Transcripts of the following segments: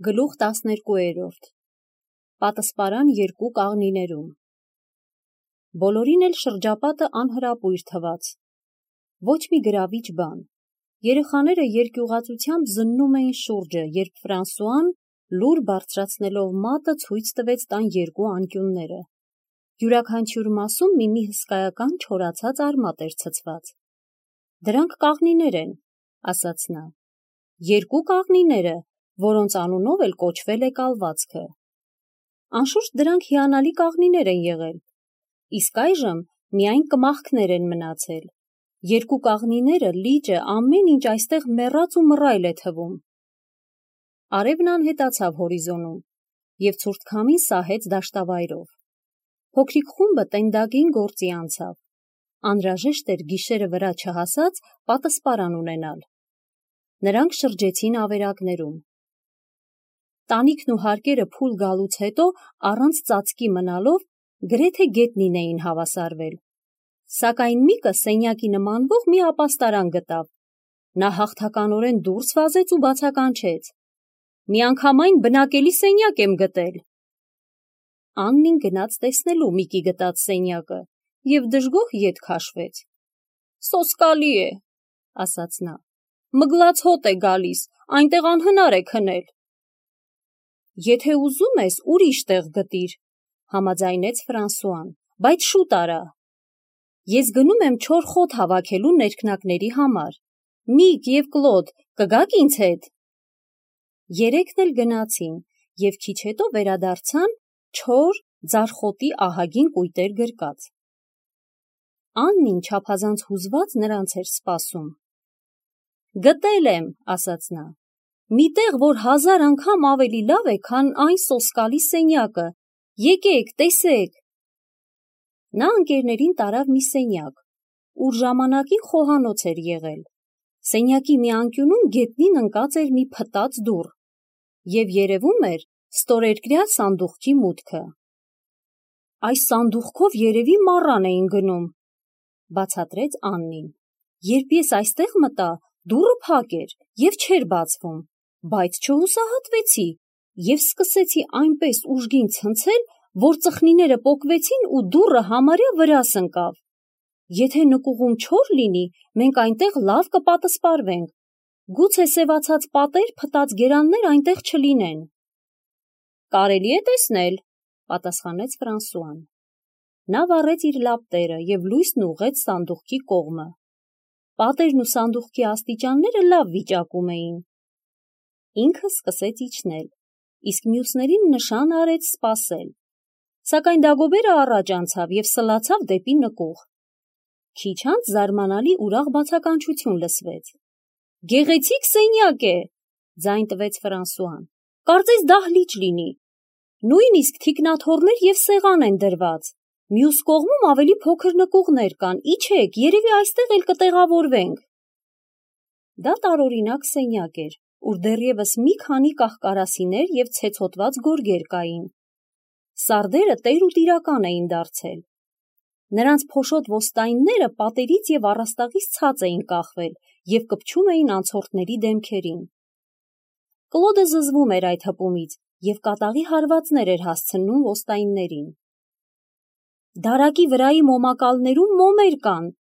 Գլուխ 12 Պատասպարան երկու կաղնիներում Բոլորին էլ շրջապատը անհրապույր թվաց, ոչ մի գրավիչ բան, երեխաները երկյուղածությամբ զննում էին շուրջը, երբ Ֆրանսուան լուր բարձրացնելով մատը ցույց տվեց տան երկու անկյունները, յուրաքանչյուր մասում մի հսկայական չորացած արմատ էր ցցված, դրանք կաղնիներ են, ասաց նա, երկու կաղնիները, որոնց անունով էլ կոչվել է կալվածքը, անշուշտ դրանք հիանալի կաղնիներ են եղել, իսկ այժմ միայն կմախքներ են մնացել, երկու կաղնիները լիճը ամեն ինչ այստեղ մեռած ու մռայլ է թվում, արևն անհետացավ հորիզոնում և ցուրտ քամին սահեց դաշտավայրով, փոքրիկ խումբը տենդագին գործի անցավ, անհրաժեշտ էր գիշերը վրա չհասած պատասպարան ունենալ, նրանք շրջեցին ավերակներում, տանիքն ու հարկերը փուլ գալուց հետո առանց ծածկի մնալով գրեթե գետնին էին հավասարվել, սակայն Միկը սենյակի նմանվող մի ապաստարան գտավ, նա հաղթականորեն դուրս վազեց ու բացականչեց, միանգամայն բնակելի սենյակ եմ գտել, Աննին գնաց տեսնելու Միկի գտած սենյակը և դժգոհ ետ քաշվեց, սոսկալի է, ասաց նա, մգլած հոտ է գալիս, այնտեղ անհնար է քնել, եթե ուզում ես ուրիշ տեղ գտիր, համաձայնեց Ֆրանսուան, բայց շուտ արա, ես գնում եմ չոր խոտ հավաքելու ներքնակների համար, Միկ և Կլոդ կգաք ինձ հետ, երեքն էլ գնացին և քիչ հետո վերադարձան չոր ձարխոտի ահագին կույտեր գրկած, Աննին չափազանց հուզված նրանց էր սպասում, գտել եմ, ասաց նա, մի տեղ, որ 1000 անգամ ավելի լավ է, քան այն սոսկալի սենյակը, եկեք, տեսեք, նա ընկերներին տարավ մի սենյակ, ուր ժամանակին խոհանոց էր եղել, սենյակի մի անկյունում գետնին ընկած էր մի փտած դուռ և երևում էր ստորերկրյա սանդուղքի մուտքը, այս սանդուղքով երևի մառան էին գնում, բացատրեց Աննին, երբ ես այստեղ մտա, դուռը փակ էր և չէր բացվում, բայց չհուսահատվեցի և սկսեցի այնպես ուժգին ցնցել, որ ծխնիները պոկվեցին ու դուռը համարյա վրաս ընկավ, եթե նկուղում չոր լինի, մենք այնտեղ լավ կպատասպարվենք, գուցե սևացած պատեր, փտած գերաններ այնտեղ չլինեն, կարելի է տեսնել, պատասխանեց Ֆրանսուան, նա վառեց իր լապտերը և լույսն ուղղեց սանդուղքի կողմը, պատերն ու սանդուղքի աստիճանները լավ վիճակում էին, ինքը սկսեց իջնել, իսկ մյուսներին նշան արեց սպասել, սակայն Դագոբերը առաջ անցավ և սլացավ դեպի նկուղ, քիչ անց զարմանալի ուրախ բացականչություն լսվեց, գեղեցիկ սենյակ է, ձայն տվեց Ֆրանսուան, կարծես դահլիճ լինի, նույնիսկ թիկնաթոռներ և սեղան են դրված, մյուս կողմում ավելի փոքր նկուղներ կան, իջեք, երևի այստեղ էլ կտեղավորվենք, դա տարօրինակ սենյակ էր, ուր դեռևս մի քանի կահ-կարասիներ և ցեցոտված գորգեր կային, սարդերը տեր ու տիրական էին դարձել, նրանց փոշոտ ոսტայինները պատերից և առաստաղից ցած էին կախվել և կպչում էին անցորդների դեմքերին, Կլոդը զզվում էր այդ հպումից և կատաղի հարվածներ էր հասցնում ոսტայիններին, դարակի վրայի մոմակալներում մոմեր կան,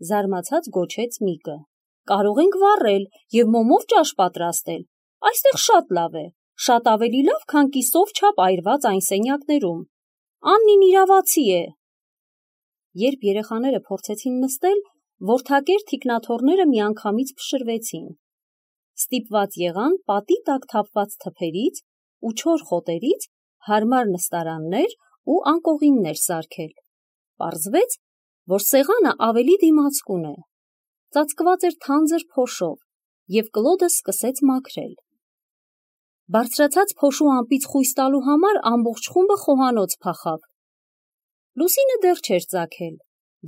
զարմացած գոչեց Միկը, կարող ենք վառել և մոմով ճաշ պատրաստել, այստեղ շատ լավ է, շատ ավելի լավ, քան կիսով չափ այրված այն սենյակներում, Աննին իրավացի է, երբ երեխաները փորձեցին նստել, որդակեր թիկնաթոռները միանգամից փշրվեցին, ստիպված եղան պատի տակ թափված թփերից ու չոր խոտերից հարմար նստարաններ ու անկողիններ սարքել, պարզվեց, որ սեղանը ավելի դիմացկուն է, ծածկված էր թանձր փոշով և Կլոդը սկսեց մաքրել, բարձրացած փոշու ամպից խույս տալու համար ամբողջ խումբը խոհանոց փախավ, լուսինը դեռ չէր ծագել,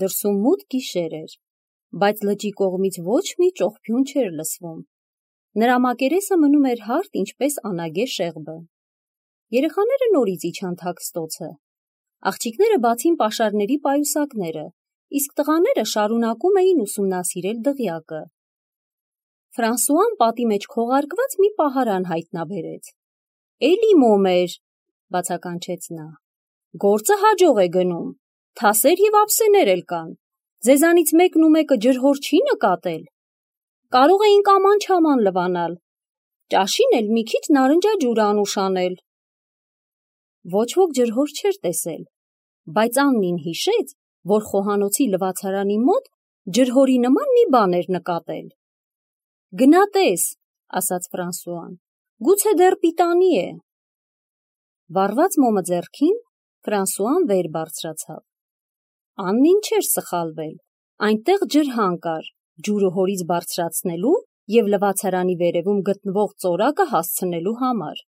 դրսում մութ գիշեր էր, բայց լճի կողմից ոչ մի ճողփյուն չէր լսվում, նրա մակերեսը մնում էր հարթ ինչպես անագե շեղբը, երեխաները նորից իջան թաքստոցը, աղջիկները բացին պաշարների պայուսակները, իսկ տղաները շարունակում էին ուսումնասիրել դղյակը, Ֆրանսուան պատի մեջ քողարկված մի պահարան հայտնաբերեց, Էլի մոմեր, բացականչեց նա։ Գործը հաջող է գնում, թասեր և ափսեներ էլ կան, ձեզանից մեկն ու մեկը ջրհոր չի նկատել։ Կարող էինք աման-չաման լվանալ, ճաշին էլ մի քիչ նարնջաջուր անուշ անել։ Ոչ ոք ջրհոր չէր տեսել, բայց Աննին հիշեց, որ խոհանոցի լվացարանի մոտ ջրհորի նման մի բան էր նկատել։ Գնա տես, ասաց Ֆրանսուան, գուցե դեռ պիտանի է։ Վառված մոմը ձեռքին, Ֆրանսուան վեր բարձրացավ։ Աննին չէր սխալվել, այնտեղ ջրհան կար, ջուրը հորից բարձրացնելու և լվացարանի վերևում գտնվող ծորակը հասցնելու համար։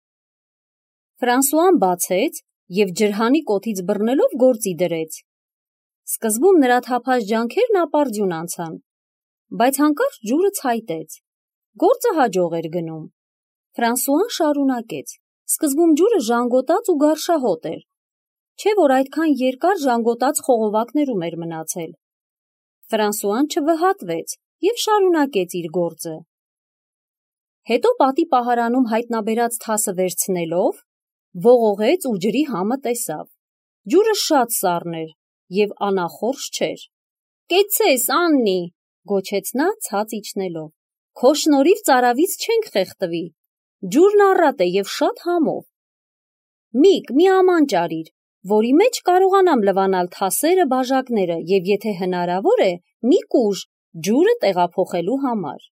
Ֆրանսուան բացեց և ջրհանի կոթից բռնելով գործի դրեց։ Սկզբում նրա թափած ջանքերն ապարդյուն անցան, բայց հանկարծ ջուրը ցայտեց։ Գործը հաջող էր գնում։ Ֆրանսուան շարունակեց. Սկզբում ջուրը ժանգոտած ու գարշահոտ էր, չէ՞ որ այդքան երկար ժանգոտած խողովակներում էր մնացել։ Ֆրանսուան չվհատվեց և շարունակեց իր գործը։ Հետո պատի պահարանում հայտնաբերած թասը վերցնելով, ողողեց ու ջրի համը տեսավ։ Ջուրը շատ սառն էր և անախորժ չէր։ «Կեցցես, Աննի», գոչեց նա ցած իջնելով։ «Քո շնորհիվ ծարավից չենք խեղդվի։ Ջուրն առատ է և շատ համով։ Միկ, մի աման ճարիր, որի մեջ կարողանամ լվանալ թասերը, բաժակները և եթե հնարավոր է, մի կուժ ջուրը տեղափոխելու համար»։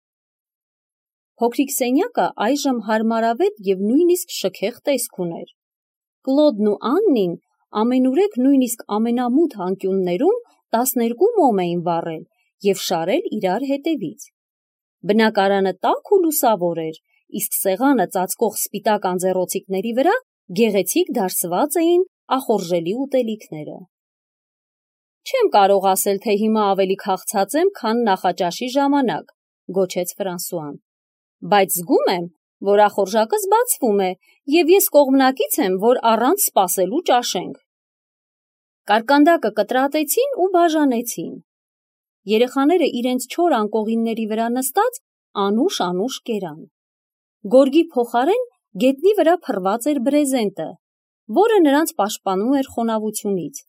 Փոքրիկ սենյակը այժմ հարմարավետ և նույնիսկ շքեղ տեսք ուներ։ Կլոդն ու Աննին ամենուրեք նույնիսկ ամենամութ անկյուններում 12 մոմ էին վառել և շարել իրար հետևից։ Բնակարանը տաք ու լուսավոր էր, իսկ սեղանը ծածկող սպիտակ անձեռոցիկների վրա գեղեցիկ դարսված էին ախորժելի ուտելիքները։ «Չեմ կարող ասել, թե հիմա ավելի քաղցած եմ, քան նախաճաշի ժամանակ», գոչեց Ֆրանսուան, «բայց զգում եմ, որ ախորժակս բացվում է, և ես կողմնակից եմ, որ առանց սպասելու ճաշենք»։ Կարկանդակը կտրատեցին ու բաժանեցին։ Երեխաները իրենց չոր անկողինների վրա նստած անուշ կերան։ Գորգի փոխարեն գետնի վրա փռված էր բրեզենտը, որը նրանց պաշտպանում էր խոնավությունից։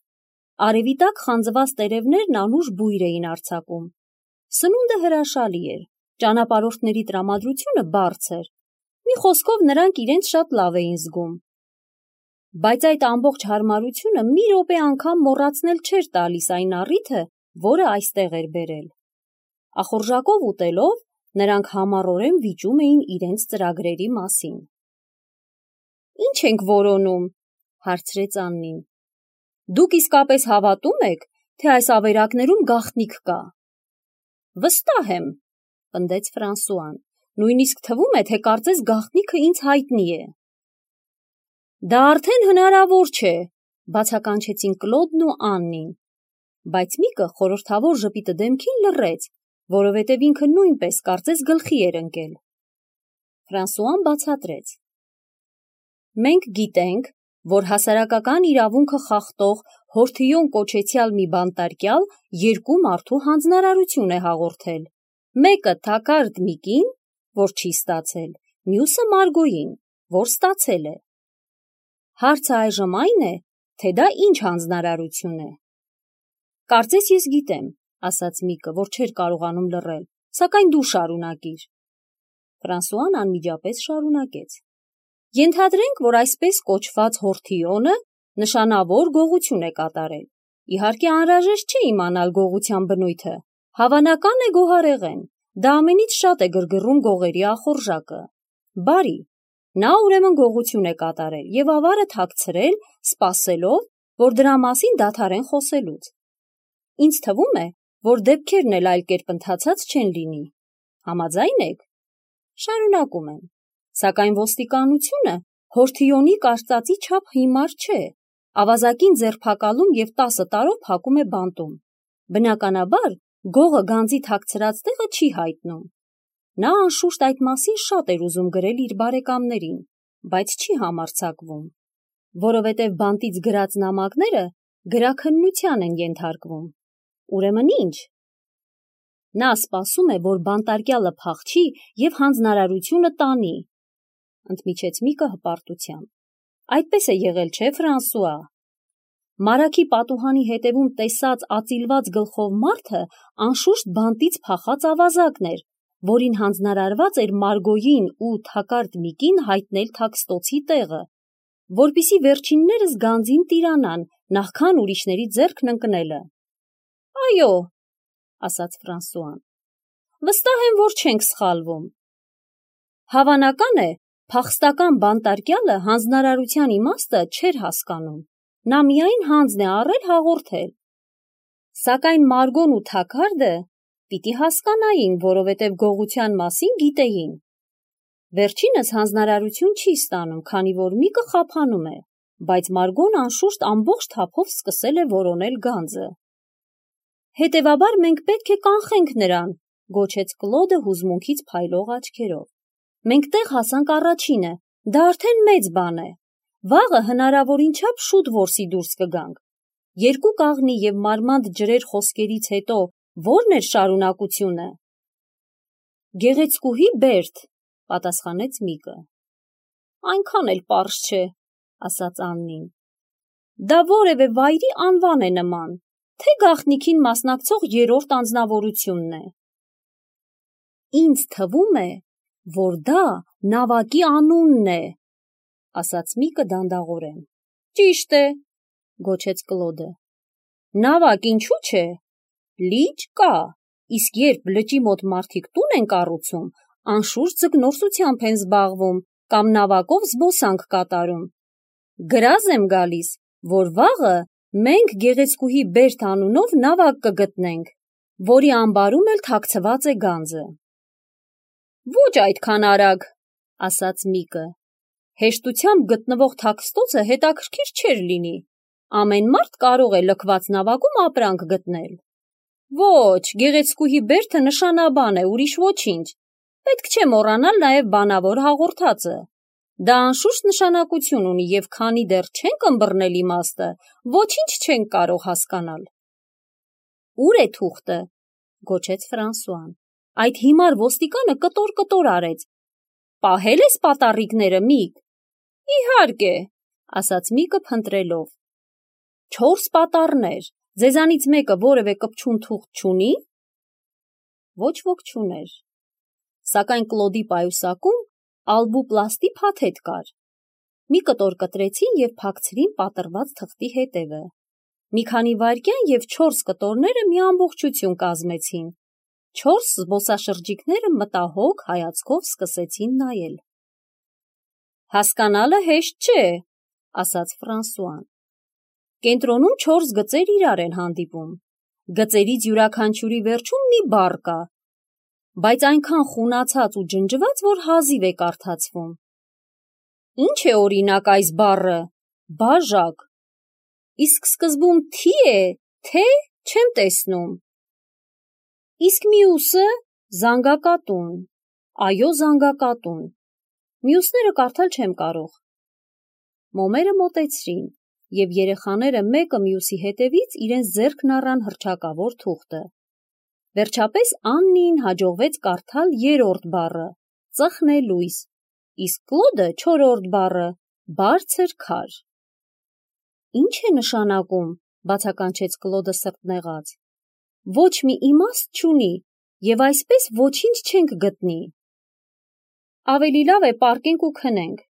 Արևի տակ խանձված տերևներն անուշ բույր էին արձակում։ Սնունդը հրաշալի էր, ճանապարհորդների տրամադրությունը բարձր։ Մի խոսքով նրանք իրենց շատ լավ էին զգում։ Բայց այդ ամբողջ հարմարությունը մի րոպե անգամ մոռացնել չէր տալիս այն առիթը, որը այստեղ էր բերել։ Ախորժակով ուտելով նրանք համառորեն վիճում էին իրենց ծրագրերի մասին։ «Ինչ ենք որոնում», հարցրեց Աննին։ «Դուք իսկապես հավատում եք, թե այս ավերակներում գաղտնիք կա»։ «Վստահ եմ», պնդեց Ֆրանսուան, «նույնիսկ թվում է, թե կարծես գաղտնիքը ինձ հայտնի է»։ «Դա արդեն հնարավոր չէ», բացականչեցին Կլոդն ու Աննին, բայց Միկը խորհրդավոր ժպիտը դեմքին լռեց, որովհետև ինքը նույնպես կարծես գլխի էր ընկել։ Ֆրանսուան բացատրեց. «Մենք գիտենք, որ հասարակական իրավունքը խախտող Հորթիոն կոչեցյալ մի բանտարկյալ երկու մարդու հանձնարարություն է հաղորդել, մեկը Թակարդ Միկին, որ չի ստացել, մյուսը Մարգոյին, որ ստացել է։ Հարցը այժմ այն է, թե դա ինչ հանձնարարություն է»։ «Կարծես ես գիտեմ», ասաց Միկը, որ չէր կարողանում լռել, «սակայն դու շարունակիր»։ Ֆրանսուան անմիջապես շարունակեց. «Ենթադրենք, որ այսպես կոչված Հորթիոնը նշանավոր գողություն է կատարել։ Իհարկե անհրաժեշտ չէ իմանալ գողության բնույթը, հավանական է գոհարեղեն, դա ամենից շատ է գրգռում գողերի ախորժակը։ Բարի, նա ուրեմն գողություն է կատարել և ավարը թաքցրել, սպասելով, որ դրա մասին դադարեն խոսելուց։ Ինձ թվում է, որ դեպքերն էլ այլ կերպ ընթացած չեն լինի։ Համաձայն եք։ Շարունակում եմ։ Սակայն ոստիկանությունը Հորթիոնի կարծածի չափ հիմար չէ, ավազակին ձերբակալում և 10 տարով փակում է բանտում։ Բնականաբար, գողը գանձի թաքցրած տեղը չի հայտնում։ Նա անշուշտ այդ մասին շատ էր ուզում գրել իր բարեկամներին, բայց չի համարձակվում, որովհետև բանտից գրած նամակները գրաքննության են ենթարկվում։ Ուրեմն ինչ։ Նա սպասում է, որ բանտարկյալը փախչի և հանձնարարությունը տանի։ ընդմիջեց Միկը հպարտությամբ։ Այդպես է եղել, չէ, Ֆրանսուଆ։ Մարագի պատուհանի հետևում տեսած ածիլված գլխով մարդը անշուշտ բանտից փախած ավազակն էր, որին հանձնարարված էր Մարգոյին ու Թակարդ Միկին հայտնել Թաքստոցի տեղը, որպիսի վերջիններս գանձին տիրանան, նախքան ուրիշների ձեռքն ընկնելը։ Այո, ասաց Ֆրանսուան, վստահ եմ, որ չենք սխալվում։ Հավանական է, փախստական բանտարկյալը հանձնարարության իմաստը չէր հասկանում, նա միայն հանձն է առել հաղորդել։ Սակայն Մարգոն ու Թակարդը պիտի հասկանային, որովհետև գողության մասին գիտեին։ Վերջինս հանձնարարություն չի ստանում, քանի որ Միկը խափանում է, բայց Մարգոն անշուշտ ամբողջ թափով սկսել է որոնել գանձը։ Հետևաբար մենք պետք է կանխենք նրան, գոչեց Կլոդը հուզմունքից փայլող աչքերով։ Մենք տեղ հասանք առաջինը, դա արդեն մեծ բան է։ Վաղը հնարավորին չափ շուտ որսի դուրս կգանք։ Երկու կաղնի և մարմանդ ջրեր խոսքերից հետո ո՞րն էր շարունակությունը։ Գեղեցկուհի Բերտ, պատասխանեց Միկը։ Այնքան էլ պարզ չէ, ասաց Աննին։ Դա որևէ վայրի անվան է նման, թե գաղտնիքին մասնակցող երրորդ անձնավորությունն է։ Ինձ թվում է, որ դա նավակի անունն է, ասաց Միկը դանդաղորեն։ Ճիշտ է, գոչեց Կլոդը։ Նավակ ինչու՞ չէ։ Լիճ կա, իսկ երբ լճի մոտ մարդիկ տուն են կառուցում, անշուշտ ձկնորսությամբ են զբաղվում կամ նավակով զբոսանք կատարում։ Գրազ եմ գալիս, որ վաղը մենք գեղեցկուհի Բերտ անունով նավակ կգտնենք, որի ամբարում էլ թաքցված է գանձը։ Ոչ այդքան արագ, ասաց Միկը։ Հեշտությամբ գտնվող Թաքստոցը հետաքրքիր չէր լինի։ Ամեն մարդ կարող է լքված նավակում ապրանք գտնել։ Ոչ, գեղեցկուհի Բերտը նշանաբան է, ուրիշ ոչինչ։ Պետք չէ մոռանալ նաև բանավոր հաղորդածը։ Դա անշուշտ նշանակություն ունի և քանի դեռ չենք ըմբռնել իմաստը, ոչինչ չենք կարող հասկանալ։ Ուր է թուղթը, գոչեց Ֆրանսուան։ Այդ հիմար ոստիկանը կտոր արեց։ Պահել ես պատառիկները, Միկ։ Իհարկե, ասաց Միկը փնտրելով։ 4 պատառներ, ձեզանից մեկը որևէ կպչուն թուղթ չունի։ Ոչ ոք չուներ։ Սակայն Կլոդի պայուսակում ալբուպլաստի փաթեթ կար։ Մի կտոր կտրեցին և փակցրին պատռված թղթի հետևը։ Մի քանի վայրկյան և 4 կտորները մի ամբողջություն կազմեցին։ 4 զբոսաշրջիկները մտահոգ հայացքով սկսեցին նայել։ Հասկանալը հեշտ չէ, ասաց Ֆրանսուան։ Կենտրոնում 4 գծեր իրար են հանդիպում։ Գծերից յուրաքանչյուրի վերջում մի բառ կա, բայց այնքան խունացած ու ջնջված, որ հազիվ է կարդացվում։ Ինչ է օրինակ այս բառը, բաժակ։ Իսկ սկզբում թի է, թե չեմ տեսնում։ Իսկ մյուսը զանգակատուն։ Այո, զանգակատուն։ Մյուսները կարդալ չեմ կարող։ Մոմերը մոտեցրին, և երեխաները մեկը մյուսի հետևից իրենց ձեռքն առան հռչակավոր թուղթը։ Վերջապես Աննիին հաջողվեց կարդալ 3-րդ բառը՝ ծխնելույս, իսկ Կլոդը 4-րդ բառը՝ բարձր քար։ Ինչ է նշանակում, բացականչեց Կլոդը սրտնեղած։ Ոչ մի իմաստ չունի, և այսպես ոչինչ չենք գտնի։ Ավելի լավ է պառկենք ու քնենք։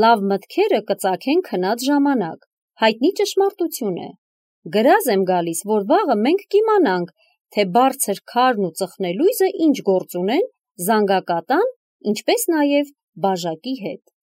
Լավ մտքերը կծագեն քնած ժամանակ, հայտնի ճշմարտություն է։ Գրազ եմ գալիս, որ վաղը մենք կիմանանք, թե բարձր քարն ու ծխնելույսը ինչ գործ ունեն զանգակատան, ինչպես նաև բաժակի հետ։